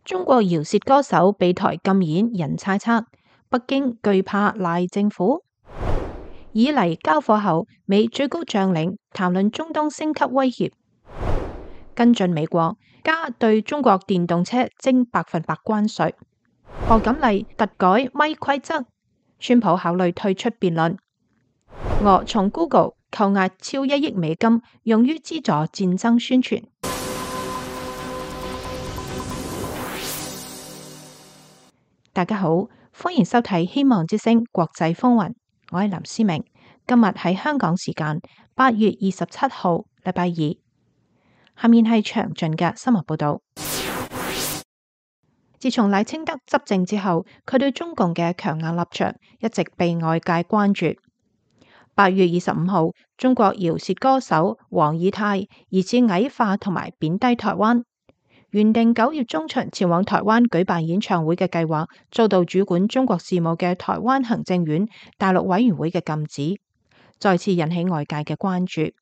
中國饒舌歌手被台禁演，人猜測北京懼怕賴政府。以黎交火後，美最高將領談論中東升級威脅。跟進美國加對中國電動車徵100%關稅。賀錦麗突改咪規則。川普考慮退出辯論。俄從 Google 扣押超1億美金，用於資助戰爭宣傳。大家好，歡迎收睇希望之聲國際風雲，我係林思明。今日喺香港時間8月27號，禮拜二。下面係詳盡嘅新聞報道。自從賴清德執政之後，佢對中共嘅強硬立場一直被外界關注。8月25號，中國饒舌歌手黃以太疑似矮化同埋貶低台灣。原定9月中旬前往台灣舉辦演唱會嘅計劃，遭到主管中國事務嘅台灣行政院大陸委員會嘅禁止，再次引起外界嘅關注。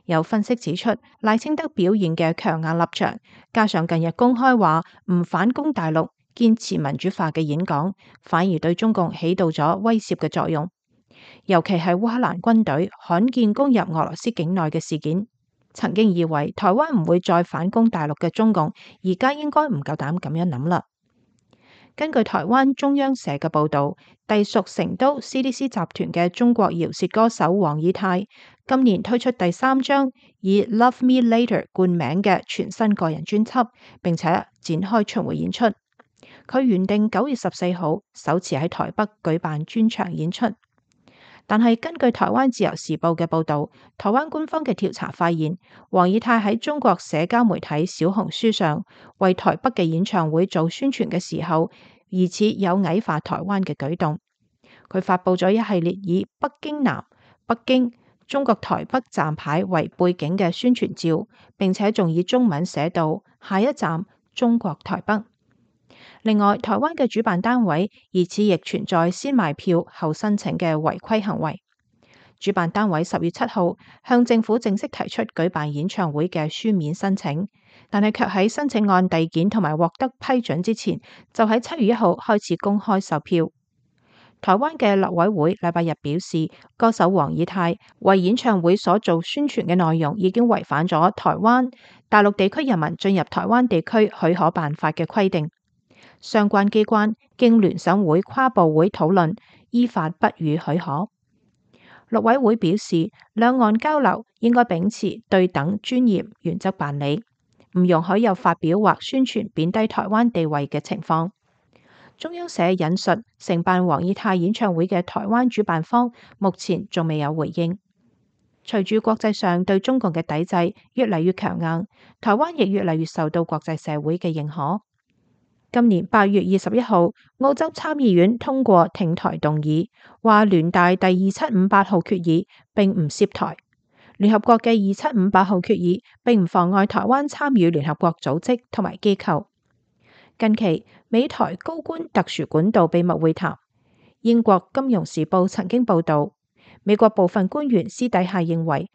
有分析指出，賴清德表現嘅強硬立場，加上近日公開話唔反攻大陸、堅持民主化嘅演講，反而對中共起到咗威懾嘅作用。尤其係烏克蘭軍隊罕見攻入俄羅斯境內嘅事件。曾經以為台灣唔會再反攻大陸嘅中共，而家應該唔夠膽咁樣諗啦。根據台灣中央社嘅報道，隸屬成都 CDC 集團嘅中國饒舌歌手黃以太，今年推出第3張以 Love Me Later 冠名嘅全新個人專輯，並且展開巡迴演出。佢原定9月14號首次喺台北舉辦專場演出。但係根據台灣自由時報嘅報導，台灣官方嘅調查發現，黃以太喺中國社交媒體小紅書上為台北嘅演唱會做宣傳嘅時候，疑似有矮化台灣嘅舉動。佢發佈咗一系列以北京南、北京、中國台北站牌為背景嘅宣傳照，並且仲以中文寫到下一站中國台北。另外，台灣嘅主辦單位疑似亦存在先賣票後申請嘅違規行為。主辦單位10月7號向政府正式提出舉辦演唱會嘅書面申請，但係卻喺申請案遞件同埋獲得批准之前，就喺7月1號開始公開售票。台灣嘅立委會禮拜日表示，歌手黃以太為演唱會所做宣傳嘅內容已經違反咗台灣大陸地區人民進入台灣地區許可辦法嘅規定。相關機關經聯審會跨部會討論，依法不予許可。陸委會表示，兩岸交流應該秉持對等專業原則辦理，唔容許有發表或宣傳貶低台灣地位嘅情況。中央社引述承辦黃以太演唱會嘅台灣主辦方，目前仲未有回應。隨住國際上對中共嘅抵制越嚟越強硬，台灣亦越嚟越受到國際社會嘅認可。今年8月21號，澳洲參議院通過挺台動議，話聯大第2758號決議並唔涉台。聯合國嘅2758號決議並唔妨礙台灣參與聯合國組織同埋機構。近期美台高官特殊管道秘密會談，英國金融時報曾經報道，美國部分官員私底下認為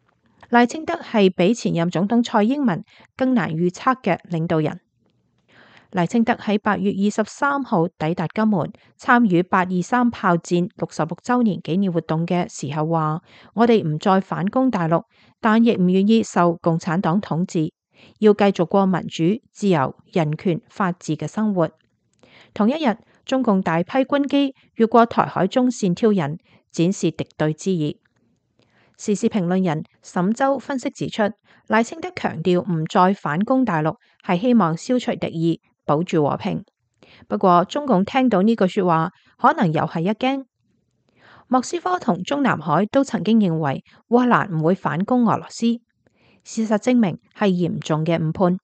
賴清德係比前任總統蔡英文更難預測嘅領導人。賴清德喺8月23號抵達金門，參與823炮戰66週年紀念活動嘅時候話：我哋唔再反攻大陸，但亦唔願意受共產黨統治，要繼續過民主、自由、人權、法治嘅生活。同一日，中共大批軍機越過台海中線挑釁，展示敵對之意。時事評論人沈周分析指出，賴清德強調唔再反攻大陸，係希望消除敵意，保住和平。不過中共聽到呢句說話，可能又係一驚。莫斯科同中南海都曾經認為烏克蘭唔會反攻俄羅斯，事實證明係嚴重嘅誤判。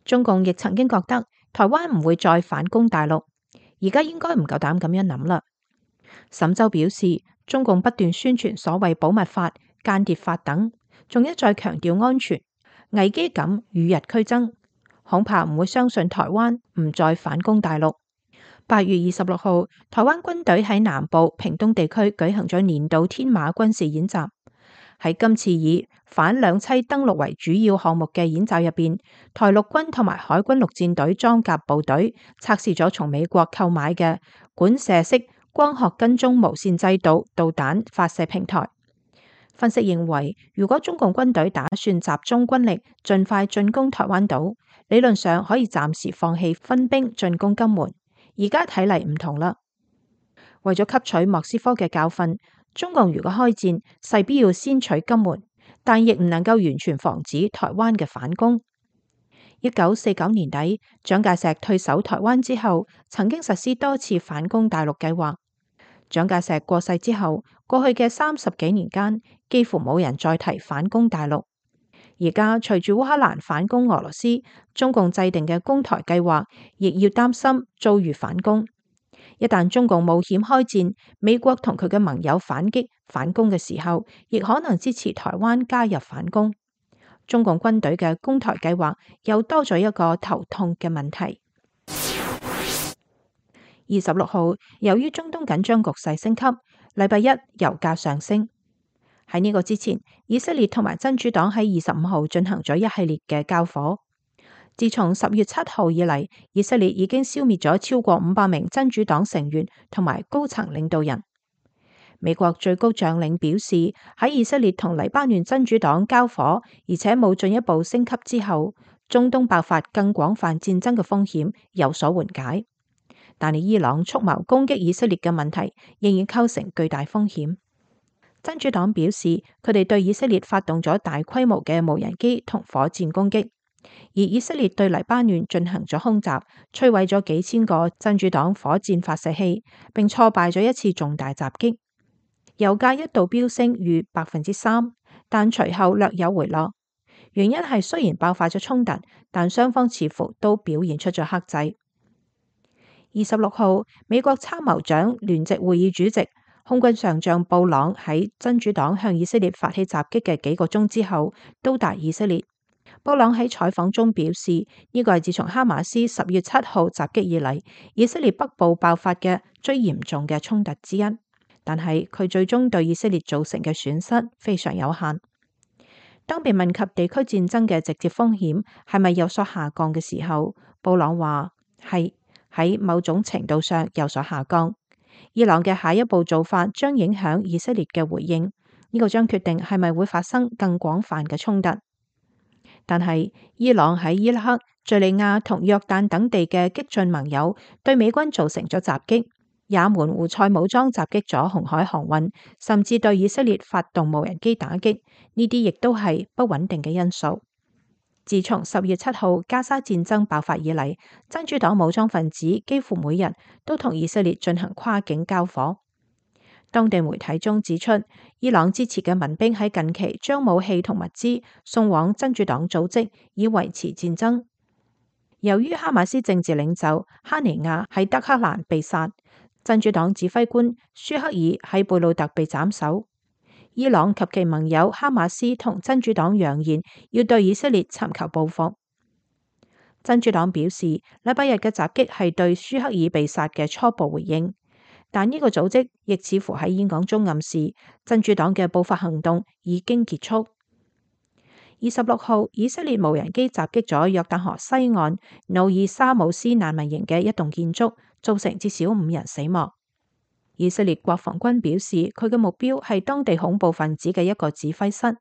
中共亦曾經覺得台灣唔會再反攻大陸，而家應該唔夠膽咁樣諗啦。沈周表示，中共不斷宣傳所謂保密法、間諜法等，仲一再強調安全，危機感與日俱增。恐怕唔會相信台灣唔再反攻大陸。8月26號，台灣軍隊喺南部屏東地區舉行咗年度天馬軍事演習。喺今次以反兩棲登陸為主要項目嘅演習入邊，台陸軍同埋海軍陸戰隊裝甲部隊測試咗從美國購買嘅管射式光學跟蹤無線制導導彈發射平台。分析認為，如果中共軍隊打算集中軍力盡快進攻台灣島，理論上可以暫時放棄分兵進攻金門。而家睇嚟唔同啦，為咗吸取莫斯科嘅教訓，中共如果開戰，勢必要先取金門，但亦唔能夠完全防止台灣嘅反攻。1949年底，蔣介石退守台灣之後，曾經實施多次反攻大陸計劃。蔣介石過世之後，過去嘅30幾年間，幾乎冇人再提反攻大陸。而家隨住烏克蘭反攻俄羅斯，中共制定嘅攻台計劃亦要擔心遭遇反攻。一旦中共冒險開戰，美國同佢嘅盟友反擊反攻嘅時候，亦可能支持台灣加入反攻。中共軍隊嘅攻台計劃又多咗一個頭痛嘅問題。26號，由於中東緊張局勢升級，禮拜一油價上升。喺呢個之前，以色列同埋真主黨喺25號進行咗一系列嘅交火。自從10月7號以嚟，以色列已經消滅咗超過500名真主黨成員同埋高層領導人。美國最高將領表示，喺以色列同黎巴嫩真主黨交火，而且冇進一步升級之後，中東爆發更廣泛戰爭嘅風險有所緩解。但係伊朗蓄謀攻擊以色列嘅問題仍然構成巨大風險。真主黨表示，佢哋對以色列發動咗大規模嘅無人機同火箭攻擊。而以色列對黎巴嫩進行咗空襲，摧毀咗幾千個真主黨火箭發射器，並挫敗咗一次重大襲擊。油價一度飆升逾3%，但隨後略有回落。原因係雖然爆發咗衝突，但雙方似乎都表現出咗克制。26號，美國參謀長聯席會議主席空軍上將布朗喺真主黨向以色列發起襲擊嘅幾個鐘之後到達以色列。布朗喺採訪中表示，呢個係自從哈馬斯10月7號襲擊以嚟，以色列北部爆發嘅最嚴重嘅衝突之一。但係佢最終對以色列造成嘅損失非常有限。當被問及地區戰爭嘅直接風險係咪有所下降嘅時候，布朗話係喺某種程度上有所下降。伊朗嘅下一步做法將影響以色列嘅回應，呢個將決定係咪會發生更廣泛嘅衝突。但係伊朗喺伊拉克、敘利亞同約旦等地嘅激進盟友對美軍造成咗襲擊，也門胡塞武裝襲擊咗紅海航運，甚至對以色列發動無人機打擊，呢啲亦都係不穩定嘅因素。自從10月7號加沙戰爭爆發以嚟，真主黨武裝分子幾乎每日都同以色列進行跨境交火。當地媒體中指出，伊朗支持嘅民兵喺近期將武器同物資送往真主黨組織，以維持戰爭。由於哈馬斯政治領袖哈尼亞喺德黑蘭被殺，真主黨指揮官舒克爾喺貝魯特被斬首。伊朗及其盟友哈馬斯同真主黨揚言要對以色列尋求報復。真主黨表示，禮拜日嘅襲擊係對舒克爾被殺嘅初步回應。但呢個組織亦似乎喺演講中暗示，真主黨嘅報復行動已經結束。26號，以色列無人機襲擊咗約旦河西岸努爾沙姆斯難民營嘅一棟建築，造成至少5人死亡。以色列國防軍表示，佢嘅目標係當地恐怖分子嘅一個指揮室。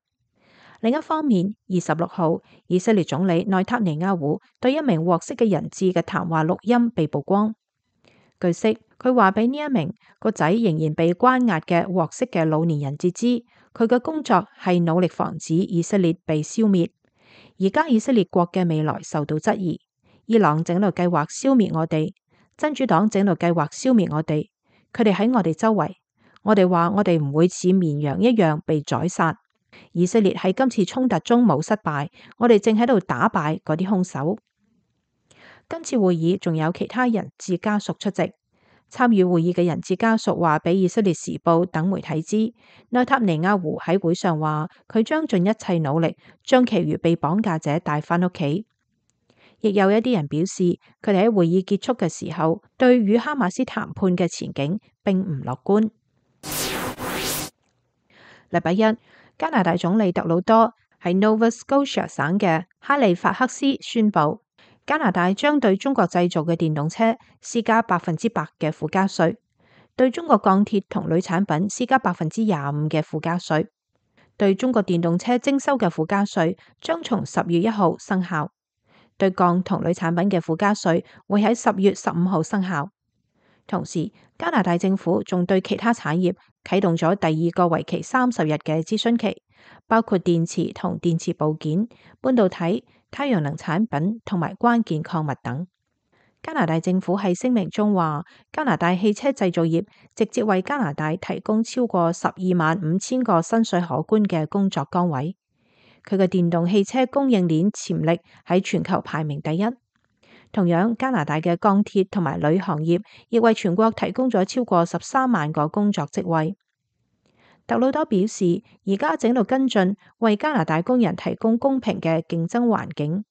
另一方面，26號，以色列總理內塔尼亞胡對一名獲釋嘅人質嘅談話錄音被曝光。據悉，佢話俾呢一名個仔仍然被關押嘅獲釋嘅老年人質知，佢嘅工作係努力防止以色列被消滅。而家以色列國嘅未來受到質疑，伊朗正喺度計劃消滅我哋，真主黨正喺度計劃消滅我哋，佢哋喺我哋周圍。我哋話我哋唔會似綿羊一樣被宰殺。以色列喺今次衝突中冇失敗，我哋正喺度打敗嗰啲兇手。今次會議仲有其他人質家屬出席。參與會議嘅人質家屬話俾以色列時報等媒體知，內塔尼亞胡喺會上話佢將盡一切努力將其餘被綁架者帶返屋企。亦有一啲人表示，佢哋喺會議結束嘅時候對與哈馬斯談判嘅前景並唔樂觀。禮拜一，加拿大總理特魯多喺 Nova Scotia 省嘅哈利法克斯宣布，加拿大將對中國製造嘅電動車施加100%嘅附加稅，對中國鋼鐵同鋁產品施加25%嘅附加稅。對中國電動車徵收嘅附加稅將從10月1號生效，對鋼同鋁產品嘅附加稅會喺10月15號生效。同時，加拿大政府仲對其他產業啟動咗第二個為期30日嘅諮詢期，包括電池同電池部件、半導體、太陽能產品同埋關鍵礦物等。加拿大政府喺聲明中話，加拿大汽車製造業直接為加拿大提供超過125000個薪水可觀嘅工作崗位。佢嘅電動汽車供應鏈潛力喺全球排名第一。同樣，加拿大嘅鋼鐵同埋鋁行業亦為全國提供咗超過13萬個工作職位。特魯多表示，而家正喺度跟進，為加拿大工人提供公平嘅競爭環境。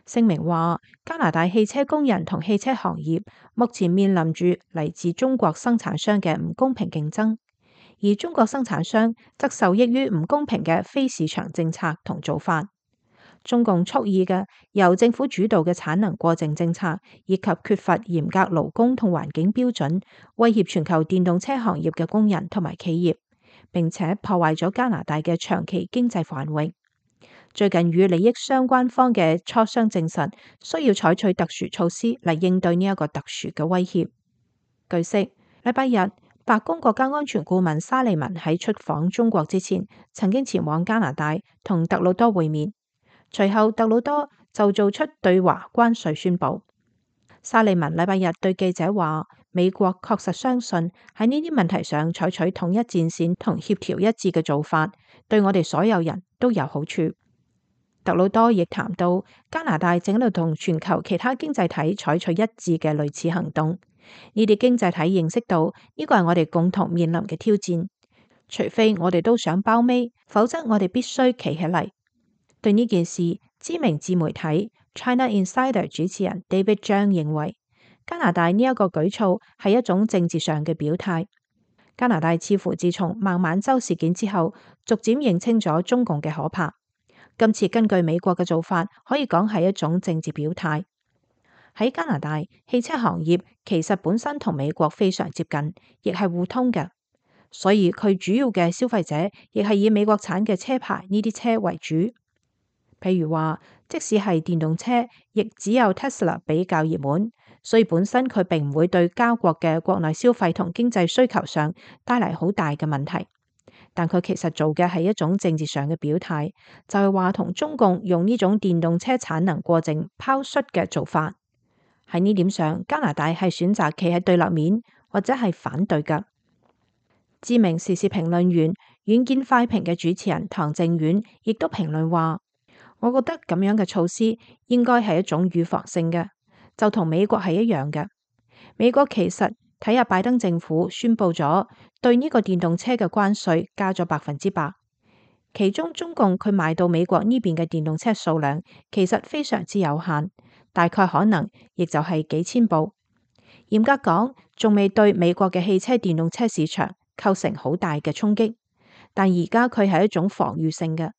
聲明話，加拿大汽車工人同汽車行業目前面臨住嚟自中國生產商嘅唔公平競爭，而中國生產商則受益於唔公平嘅非市場政策同做法。中共蓄意嘅由政府主導嘅產能過剩政策，以及缺乏嚴格勞工同環境標準，威脅全球電動車行業嘅工人同埋企業，並且破壞咗加拿大嘅長期經濟繁榮。最近與利益相關方嘅磋商證實，需要採取特殊措施嚟應對呢一個特殊嘅威脅。據悉，禮拜日，白宮國家安全顧問沙利文喺出訪中國之前，曾經前往加拿大同特魯多會面。隨後，特魯多就做出對華關稅宣佈。沙利文禮拜日對記者話，美國確實相信喺呢啲問題上採取統一戰線同協調一致嘅做法，對我哋所有人都有好處。特魯多亦談到，加拿大正喺度同全球其他經濟體採取一致嘅類似行動。呢啲經濟體認識到呢個係我哋共同面臨嘅挑戰，除非我哋都想包尾，否則我哋必須企起嚟。對呢件事，知名自媒體 China Insider 主持人 David Zhang 認為，加拿大呢一個舉措係一種政治上嘅表態。加拿大似乎自從孟晚舟事件之後，逐漸認清咗中共嘅可怕。今次根據美國嘅做法，可以講係一種政治表態。喺加拿大，汽車行業其實本身同美國非常接近，亦係互通嘅，所以佢主要嘅消費者亦係以美國產嘅車牌呢啲車為主。譬如話，即使係電動車，亦只有 Tesla 比較熱門，所以本身佢並唔會對加國嘅國內消費同經濟需求上帶嚟好大嘅問題。但佢其實做嘅係一種政治上嘅表態，就係話同中共用呢種電動車產能過剩拋出嘅做法。喺呢點上，加拿大係選擇企喺對立面或者係反對嘅。知名時事評論員遠見快評嘅主持人唐靖遠亦都評論話，我覺得咁樣嘅措施應該係一種預防性嘅，就同美國係一樣嘅。美國其實睇下拜登政府宣布咗對呢個電動車嘅關稅加咗100%，其中中共佢賣到美國呢邊嘅電動車數量其實非常之有限，大概可能亦就係幾千部。嚴格講，仲未對美國嘅汽車電動車市場構成好大嘅衝擊，但而家佢係一種防禦性嘅。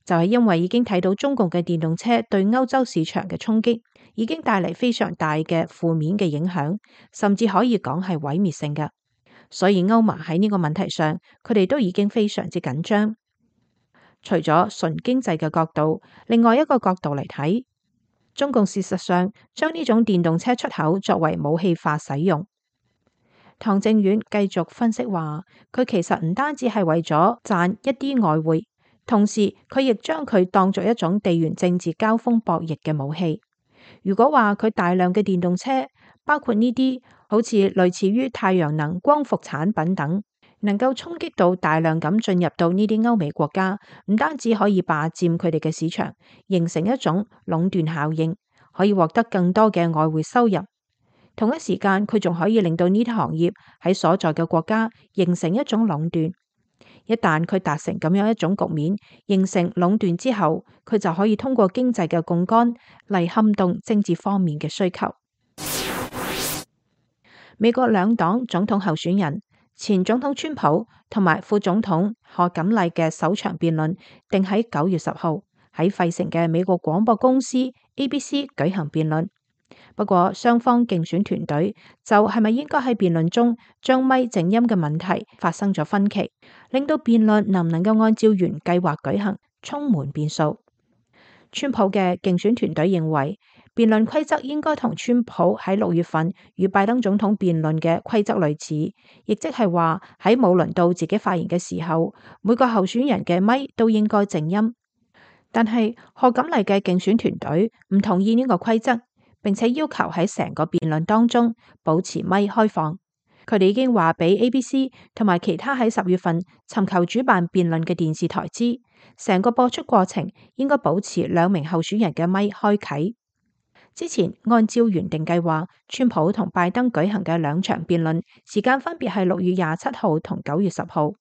就係因為已經睇到中共嘅電動車對歐洲市場嘅衝擊，已經帶嚟非常大嘅負面嘅影響，甚至可以講係毀滅性嘅。所以歐盟喺呢個問題上，佢哋都已經非常之緊張。除咗純經濟嘅角度，另外一個角度嚟睇，中共事實上將呢種電動車出口作為武器化使用。唐靖遠繼續分析話，佢其實唔單止係為咗賺一啲外匯。同時，佢亦將佢當作一種地緣政治交鋒博弈嘅武器。如果話佢大量嘅電動車，包括呢啲好似類似於太陽能光伏產品等，能夠衝擊到大量咁進入到呢啲歐美國家，唔單止可以霸佔佢哋嘅市場，形成一種壟斷效應，可以獲得更多嘅外匯收入。同一時間，佢仲可以令到呢啲行業喺所在嘅國家形成一種壟斷。一旦佢達成咁樣一種局面，形成壟斷之後，佢就可以通過經濟嘅槓桿嚟撼動政治方面嘅需求。美國兩黨總統候選人前總統川普同埋副總統賀錦麗嘅首場辯論定喺9月10號喺費城嘅美國廣播公司 ABC 舉行辯論。不過雙方競選團隊就係咪應該喺辯論中將咪靜音嘅問題發生咗分歧，令到辯論能唔能夠按照原計劃舉行充滿變數。川普嘅競選團隊認為辯論規則應該同川普喺6月份與拜登總統辯論嘅規則類似，亦即係話喺冇輪到自己發言嘅時候，每個候選人嘅咪都應該靜音。但係賀錦麗嘅競選團隊唔同意呢個規則，並且要求喺成個辯論當中保持咪開放。佢哋已經話俾 ABC 同埋其他喺10月份尋求主辦辯論嘅電視台知，成個播出過程應該保持2名候選人嘅咪開啟。之前按照原定計劃，川普同拜登舉行嘅2場辯論時間分別係6月27號同9月10號。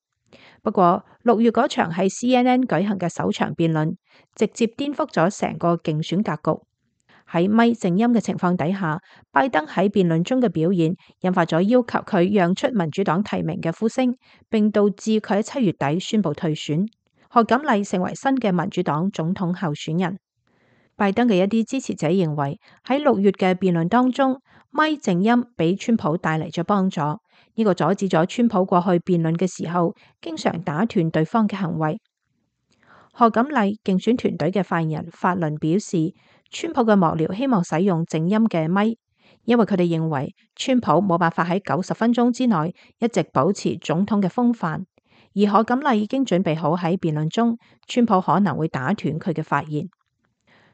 不過6月嗰場喺 CNN 舉行嘅首場辯論，直接顛覆咗成個競選格局。喺咪靜音嘅情況底下，拜登喺辯論中嘅表現引發咗要求佢讓出民主黨提名嘅呼聲，並導致佢喺7月底宣布退選。賀錦麗成為新嘅民主黨總統候選人。拜登嘅一啲支持者認為喺6月嘅辯論當中，咪靜音俾川普帶嚟咗幫助，呢個阻止咗川普過去辯論嘅時候經常打斷對方嘅行為。賀錦麗競選團隊嘅發言人法倫表示，川普嘅幕僚希望使用靜音嘅咪，因為佢哋認為川普冇辦法喺90分鐘之內一直保持總統嘅風範，而賀錦麗已經準備好喺辯論中，川普可能會打斷佢嘅發言。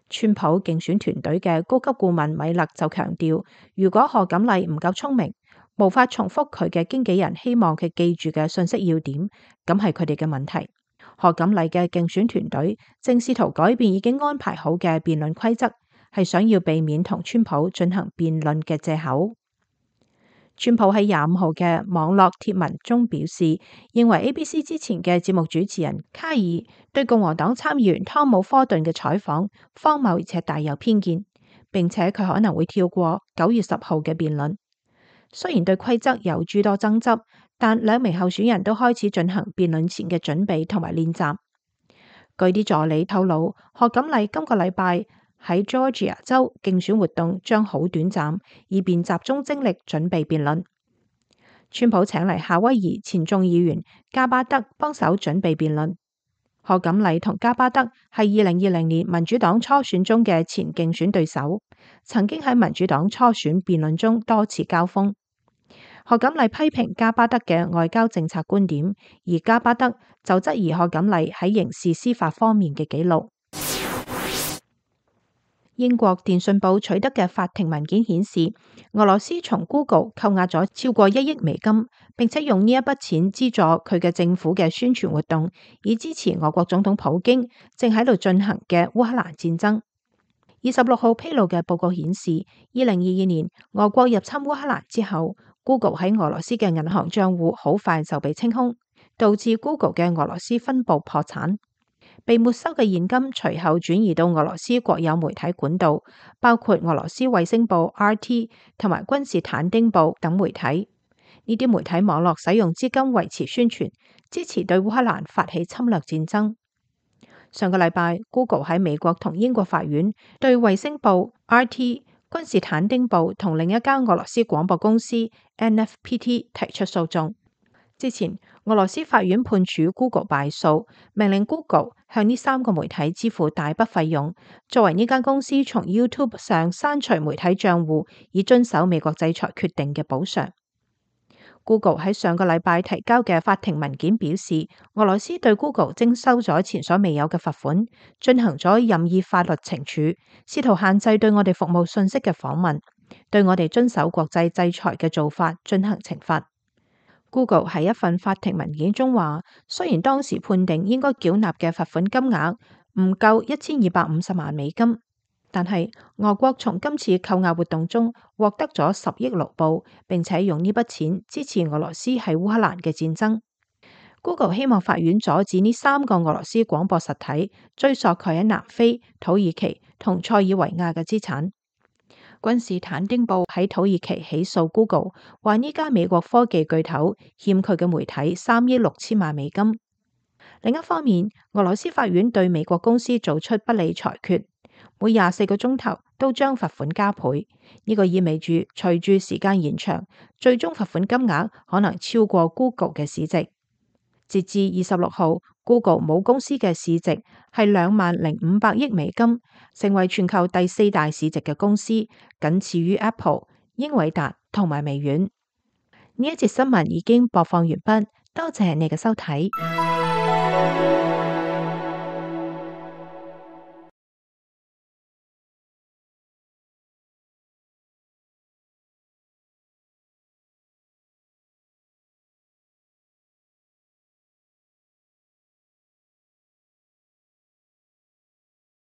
川普競選團隊嘅高級顧問米勒就強調，如果賀錦麗唔夠聰明，無法重複佢嘅經紀人希望佢記住嘅信息要點，咁係佢哋嘅問題。賀錦麗嘅競選團隊正試圖改變已經安排好嘅辯論規則，係想要避免同川普進行辯論嘅借口。川普喺25號嘅網絡貼文中表示，認為 ABC 之前嘅節目主持人卡爾對共和黨參議員湯姆科頓嘅採訪荒謬而且帶有偏見，並且佢可能會跳過9月10號嘅辯論。雖然對規則有諸多爭執，但2名候選人都開始進行辯論前嘅準備同埋練習。據啲助理透露，賀錦麗今個禮拜喺 Georgia 州競選活動將好短暫，以便集中精力準備辯論。川普請嚟夏威夷前眾議員加巴德幫手準備辯論。賀錦麗同加巴德係2020年民主黨初選中嘅前競選對手，曾經喺民主黨初選辯論中多次交鋒。賀錦麗批評加巴德嘅外交政策觀點，而加巴德就質疑賀錦麗喺刑事司法方面嘅記錄。英國電訊報取得嘅法庭文件顯示，俄羅斯從 Google 扣押咗超過1億美金，並且用呢一筆錢資助佢嘅政府嘅宣傳活動，以支持俄國總統普京正喺度進行嘅烏克蘭戰爭。26號披露嘅報告顯示，2022年俄國入侵烏克蘭之後，Google 喺俄羅斯嘅銀行賬戶好快就被清空，導致 Google 嘅俄羅斯分部破產。被沒收嘅現金隨後轉移到俄羅斯國有媒體管道，包括俄羅斯衛星報 RT 同埋君士坦丁報等媒體。呢啲媒體網絡使用資金維持宣傳，支持對烏克蘭發起侵略戰爭。上個禮拜 ，Google 喺美國同英國法院對衛星報 RT、君士坦丁報同另一間俄羅斯廣播公司 NFPT 提出訴訟。之前，俄羅斯法院判處 Google 敗訴，命令 Google 向呢3個媒體支付大筆費用，作為呢間公司從 YouTube 上刪除媒體賬戶，以遵守美國制裁決定嘅補償。Google 喺上個禮拜提交嘅法庭文件表示，俄羅斯對 Google 徵收咗前所未有嘅罰款，進行咗任意法律懲處，試圖限制對我哋服務信息嘅訪問，對我哋遵守國際制裁嘅做法進行懲罰。Google 喺一份法庭文件中話，雖然當時判定應該繳納嘅罰款金額唔夠1250萬美金，但係俄國從今次扣押活動中獲得咗10億盧布，並且用呢筆錢支持俄羅斯喺烏克蘭嘅戰爭。Google 希望法院阻止呢3個俄羅斯廣播實體追溯佢喺南非、土耳其同塞爾維亞嘅資產。君士坦丁堡喺土耳其起訴 Google， 話呢家美國科技巨頭欠佢嘅媒體3億6千萬美金。另一方面，俄羅斯法院對美國公司做出不利裁決，每24個鐘頭都將罰款加倍。呢個意味住隨住時間延長，最終罰款金額可能超過 Google 嘅市值。截至26號，Google 母公司嘅市值係20500億美金，成為全球第4大市值嘅公司，僅次於 Apple、英偉達同埋微軟。呢一節新聞已經播放完畢，多謝你嘅收睇。